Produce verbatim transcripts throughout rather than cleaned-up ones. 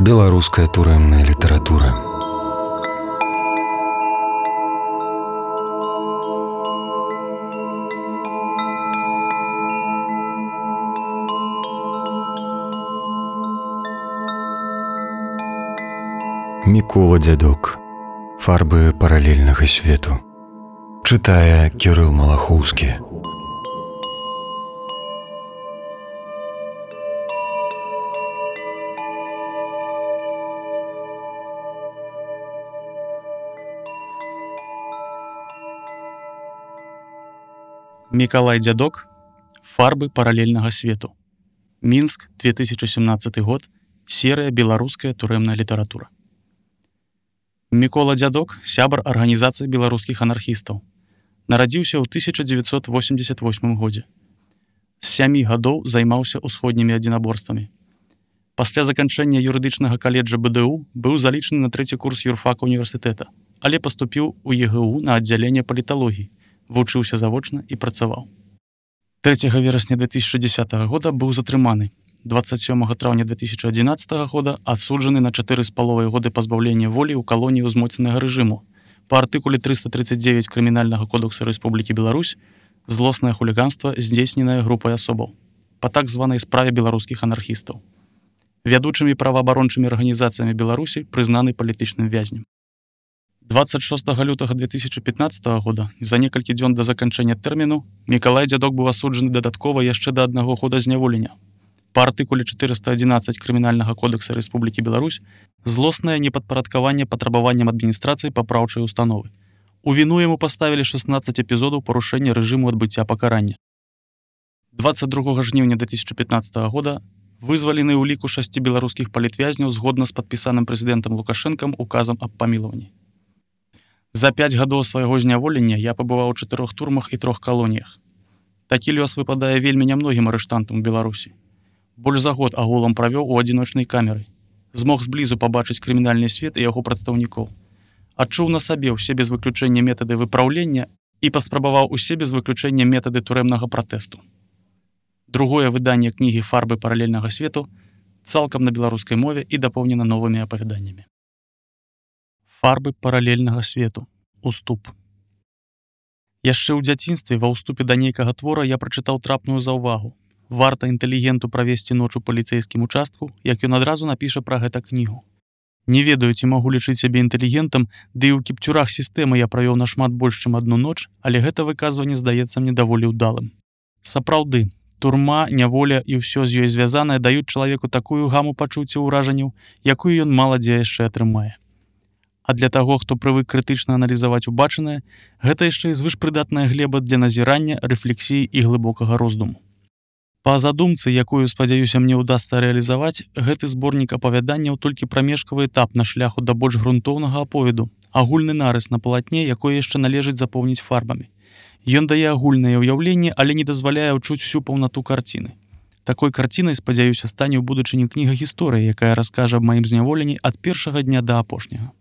Беларуская турэмная літаратура. Мікола Дзядок. Фарбы паралельнага свету. Чытае Кірыл Малахоўскі. Мікалай Дзядок. Фарбы паралельнага свету. Мінск, две тысячи семнадцатый год. Серыя «Беларуская турэмная літаратура». Мікола Дзядок – сябар арганізацыі беларускіх анархістаў. Нарадзіўся ў тысяча дзевяцьсот восемьдесят восьмым годзе. З сямі гадоў займаўся ўсходнімі адзінаборствамі. Пасля заканчэння юрыдычнага каледжа бэ дэ у быў залічаны на трэці курс юрфака універсітэта, але паступіў у е гэ у на аддзяленне паліталогіі, вучыўся завочна і працаваў. трэцяга верасня две тысячи десятого года быў затрыманы. двадцать сёмага траўня две тысячи одиннадцатого года асуджаны на чатыры з паловай годы пазбаўлення волі ў калоніі ўзмоцненага рэжыму па артыкуле триста тридцать девять крымінальнага кодекса Рэспублікі Беларусь злоснае хуліганства, здзейсненае групай асобаў па так званай справе беларускіх анархістаў. Вядучымі праваабарончымі арганізацыямі Беларусі прызнаны палітычным вязнем. двадцать шостага лютага две тысячи пятнадцатого года, за некалькі дзён да заканчэння тэрміну, Мікалай Дзядок быў асуджаны дадаткова яшчэ да аднаго года зняволення. Па артыкуле четыреста одиннадцать крымінальнага кодекса Рэспублікі Беларусь злоснае непадпарадкаванне патрабаванням адміністрацыі папраўчай установы. У віну яму паставілі шестнадцать эпізодаў парушэння рэжыму адбыцця пакарання. двадцать другога жніўня две тысячи пятнадцатого года вызвалены ў ліку шасці беларускіх палітвязняў згодна з падпісаным прэзідэнтам Лукашэнкам указам аб памілаванні. За пяць гадоў свайго зняволення я пабываў у чатырох турмах і трох калоніях. Такі лёс выпадае вельмі нямногім арыштантам у Беларусі. Больш за год агулам правёў у адзіночнай камеры. Змог зблізу пабачыць крымінальны свет і яго прадстаўнікоў. Адчуў на сабе ўсе без выключэння метады выпраўлення і паспрабаваў усе без выключэння метады турэмнага пратэсту. Другое выданне кнігі «Фарбы паралельнага свету» цалкам на беларускай мове і дапоўнена новымі апавяданнямі. Фарбы паралельнага свету. Уступ. Яшчэ ў дзяцінстве ва ўступе да нейкага твора я прачытаў трапную заўвагу. Варта інтэлігенту правесці ноч у паліцэйскім участку, як ён адразу напіша пра гэта кнігу. Не ведаю, ці магу лічыць сябе інтэлігентам, ды і ў кіпцюрах сістэмы я правёў нашмат больш, чым адну ноч, але гэта выказванне здаецца мне даволі ўдалым. Сапраўды, турма, няволя і ўсё з ёй звязанае даюць чалавеку такую гаму пачуццяў уражанняў, якую ён мала дзе яшчэ атрымае. А для таго, хто прывык крытычна аналізаваць убачанае, гэта яшчэ і звышпрыдатная глеба для назірання, рэфлексіі і глыбокага роздуму. Па задумцы, якую, спадзяюся, мне ўдасца рэалізаваць, гэты зборнік апавяданняў толькі прамежкавы этап на шляху да больш грунтоўнага аповеду, агульны нарыс на палатне, якое яшчэ належыць запоўніць фарбамі. Ён дае агульнае ўяўленне, але не дазваляе ўчуць всю паўнату карціны. Такой карцінай, спадзяюся, стане ў будучыні кніга гісторыі, якая раскажа аб маім зняволенні ад першага дня да апошняга.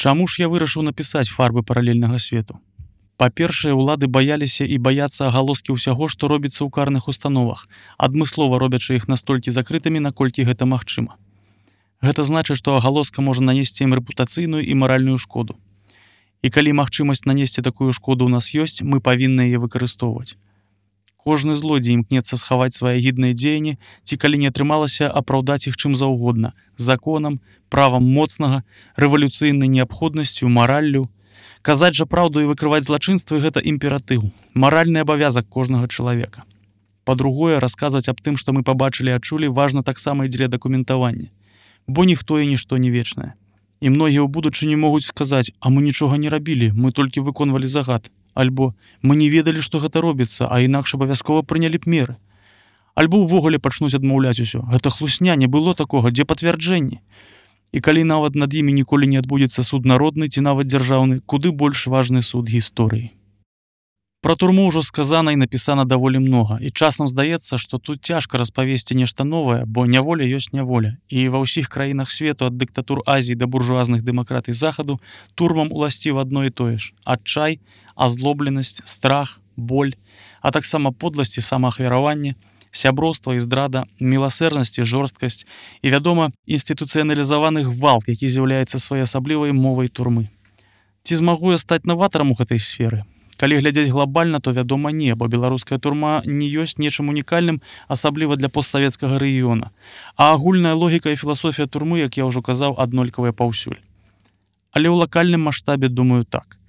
Чаму ж я вырашыў напісаць «Фарбы паралельнага свету»? Па-першае, улады баяліся і баяцца агалоскі ўсяго, што робіцца ў карных установах, адмыслова робячы іх настолькі закрытымі, наколькі гэта магчыма. Гэта значыць, што агалоска можа нанесці ім рэпутацыйную і маральную шкоду. І калі магчымасць нанесці такую шкоду ў нас ёсць, мы павінны яе выкарыстоўваць. Кожны злодзей імкнецца схаваць свае гідныя дзеянні, ці калі не атрымалася апраўдаць іх чым заўгодна, законам, правам моцнага, рэвалюцыйнай неабходнасцю, мараллю. Казаць жа праўду і выкрываць злачынствы – гэта імператыў, маральны абавязак кожнага чалавека. Па-другое, расказваць аб тым, што мы пабачылі і адчулі, важна таксама і дзеля дакументавання. Бо ніхто і нішто не вечнае. І многія ў будучыні могуць сказаць: «А мы нічога не рабілі, мы толькі выконвалі загад». Альбо «Мы не ведалі, што гэта робіцца, а інакш абавязкова прынялі б меры». Альбо ўвогуле пачнуць адмаўляць усё. Гэта хлусня, не было такога, дзе пацвярджэнні? І калі нават над імі ніколі не адбудзецца суд народны ці нават дзяржаўны, куды больш важны суд гісторыі. Пра турму ўжо сказана і напісана даволі многа, і часам здаецца, што тут цяжка распавесці нешта новае, бо няволя ёсць няволя, і ва ўсіх краінах свету ад дыктатур Азіі да буржуазных дэмакратый Захаду турмам уласціва адно і тое ж: адчай, азлобленасць, страх, боль, а таксама подласць і самаахвяраванне, сяброўства і здрада, міласэрнасць і жорсткасць і, вядома, інстытуцыяналізаваны гвалт, які з'яўляецца своеасаблівай мовай турмы. Ці змагу я стаць наватарам у гэтай сферы? Калі глядзець глобальна, то, вядома, не, бо беларуская турма не ёсць нечым унікальным, асабліва для постсавецкага рэгіёна. А агульная логіка і філасофія турмы, як я ўжо казаў, аднолькавыя паўсюль. Але ў лакальным маштабе думаю так.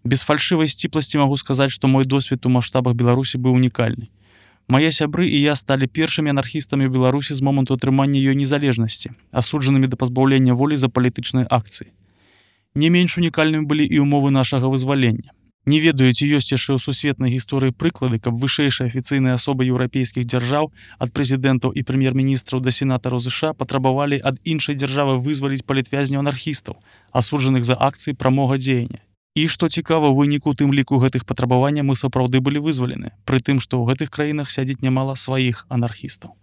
Без фальшывай сціпласці магу сказаць, што мой досвед у маштабах Беларусі быў унікальны. Мае сябры і я сталі першымі анархістамі ў Беларусі з моманту атрымання ёй незалежнасці, асуджанымі да пазбаўлення волі за палітычныя акцыі. Не менш унікальнымі былі і ўмовы нашага вызвалення. Не ведаю, ці ёсць яшчэ ў сусветнай гісторыі прыклады, каб вышэйшыя афіцыйныя асобы еўрапейскіх дзяржаў ад прэзідэнтаў і прэм'ер-міністраў да сенатараў ЗША патрабавалі ад іншай дзяржавы вызваліць палітвязняў-анархістаў, асуджаных за акцыі прамога дзеяння. І, што цікава, у выніку тым ліку гэтых патрабаванняў мы сапраўды былі вызвалены, пры тым, што ў гэтых краінах сядзіць нямала сваіх анархістаў.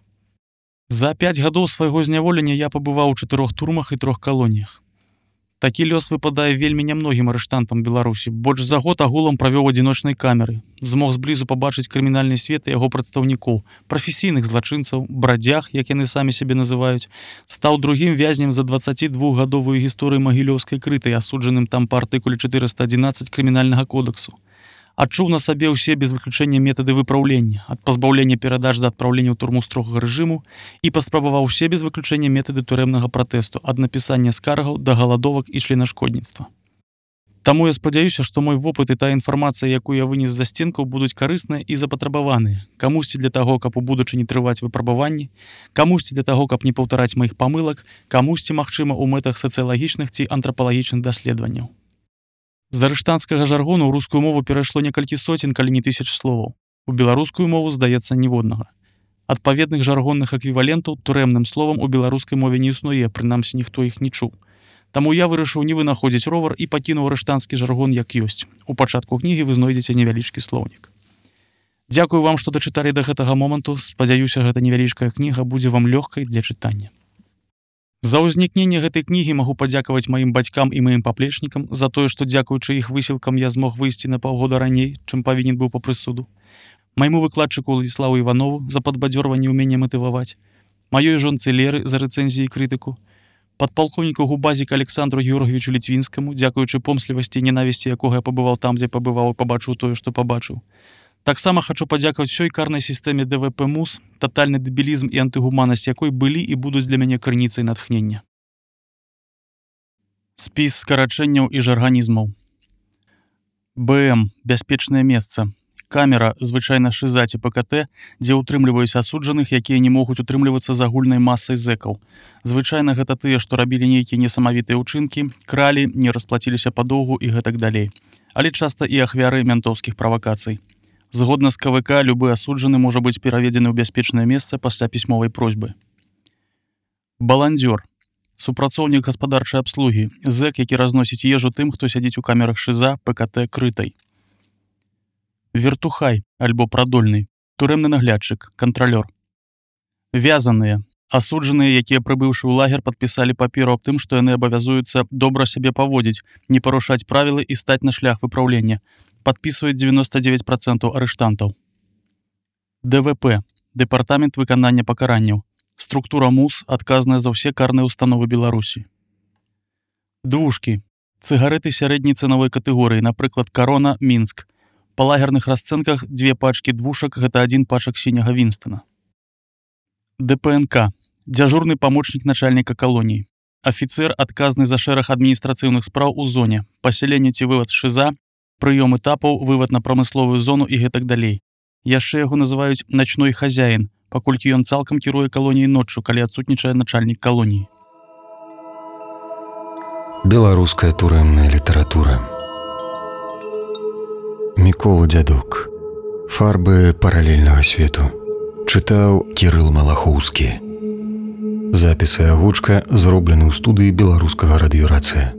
За пяць гадоў свайго зняволення я пабываў у чатырох турмах і трох калоніях. Такі лёс выпадае вельмі нямногім арыштантам Беларусі. Больш за год агулам правёў адзіночнай камеры. Змог зблізу пабачыць крымінальны свет і яго прадстаўнікоў, прафесійных злачынцаў, брадзяг, як яны самі сябе называюць, стаў другім вязнем за дваццацідвухгадовую гісторыю магілёўскай крытай, асуджаным там па артыкуле чатырыста адзінаццаць крымінальнага кодексу. Адчуў на сабе ўсе без выключэння метады выпраўлення, ад пазбаўлення перадаж да адпраўлення ў турму строгага рэжыму і паспрабаваў усе без выключэння метады турэмнага пратэсту, ад напісання скаргаў да галадовак і членашкодніцтва. Таму я спадзяюся, што мой вопыт і тая інфармацыя, якую я вынес з засценкаў, будуць карысныя і запатрабаваныя. Камусьці для таго, каб у будучыні трываць выпрабаванні, камусьці для таго, каб не паўтараць маіх памылак, камусьці, магчыма, у мэтах сацыялагічных ці антрапалагічных даследаванняў. З арыштанцкага жаргону ў рускую мову перайшло некалькі соцень, калі не тысяч словаў. У беларускую мову, здаецца, ніводнага. Адпаведных жаргонных эквівалентаў турэмным словам у беларускай мове не існуе, прынамсі ніхто іх не чуў. Таму я вырашыў не вынаходзіць ровар і пакінуў арыштанскі жаргон як ёсць. У пачатку кнігі вы знойдзеце невялічкі слоўнік. Дзякую вам, што дачыталі да гэтага моманту. Спадзяюся, гэта невялічкая кніга будзе вам лёгкай для чытання. За ўзнікненне гэтай кнігі магу падзякаваць маім бацькам і маім паплечнікам за тое, што дзякуючы іх высілкам я змог выйсці на паўгода раней, чым павінен быў па прысуду. Майму выкладчыку Уладзіславу Іванову за падбадзёрванне ўмення матываваць, маёй жонцы Леры за рэцэнзіі і крытыку, падпалкоўніку губазіка Александру Георгіевичу Літвінскаму, дзякуючы помслівасці і ненавісці, якога я пабываў там, дзе пабываў і пабачыў тое, што пабачыў. Таксама хачу падзякаваць усёй карнай сістэме дэ вэ пэ МУС, татальны дэбілізм і антыгуманнасць якой былі і будуць для мяне крыніцай натхнення. Спіс скарачэнняў і жарганізмаў. бэ эм – бяспечнае месца. Камера, звычайна шыза ці пэ ка тэ, дзе ўтрымліваюць асуджаных, якія не могуць утрымлівацца з агульнай масай зэкаў. Звычайна гэта тыя, што рабілі нейкія несамавітыя ўчынкі, кралі, не расплаціліся па доўгу і гэтак далей. Але часта і ахвяры мянтоўскіх правакацый. Згодна з ка вэ ка, любы асуджаны можа быць пераведзены ў бяспечнае месца пасля пісьмовай просьбы. Баландзёр. Супрацоўнік гаспадарчай абслугі. Зэк, які разносіць ежу тым, хто сядзіць у камерах шыза, пэ ка тэ крытай. Вертухай, альбо прадольны. Турэмны наглядчык, кантралёр. Вязаныя. Асуджаныя, якія, прыбыўшы ў лагер, падпісалі паперу аб тым, што яны абавязуюцца добра сябе паводзіць, не парушаць правілы і стаць на шлях выпраўлення. Падпісваюць дзевяноста дзевяць працэнтаў арыштантаў. дэ вэ пэ – Дэпартамент выканання пакаранняў. Структура МУС, адказная за ўсе карныя ўстановы Беларусі. Двушкі. Цыгарэты сярэдняй цэнавой катэгорыі, напрыклад, Карона, Мінск. Па лагерных расцэнках дзве пачкі двушак – гэта адзін пачак сіняга Вінстона. дэ пэ эн ка – дзяжурны памочнік начальніка калоніі. Афіцэр, адказны за шэраг адміністрацыйных спраў у зоне, пасяленне ці вывад з шыза, прыём этапаў, вывад на прамысловую зону і гэтак далей. Яшчэ яго называюць начной хазяін, паколькі ён цалкам кіруе калоніяй ноччу, калі адсутнічае начальнік калоніі. Беларуская турэмная літаратура. Мікола Дзядок. Фарбы паралельнага свету. Чытаў Кірыл Малахоўскі. Запісы агучка зроблены ў студыі беларускага радыёрацыя.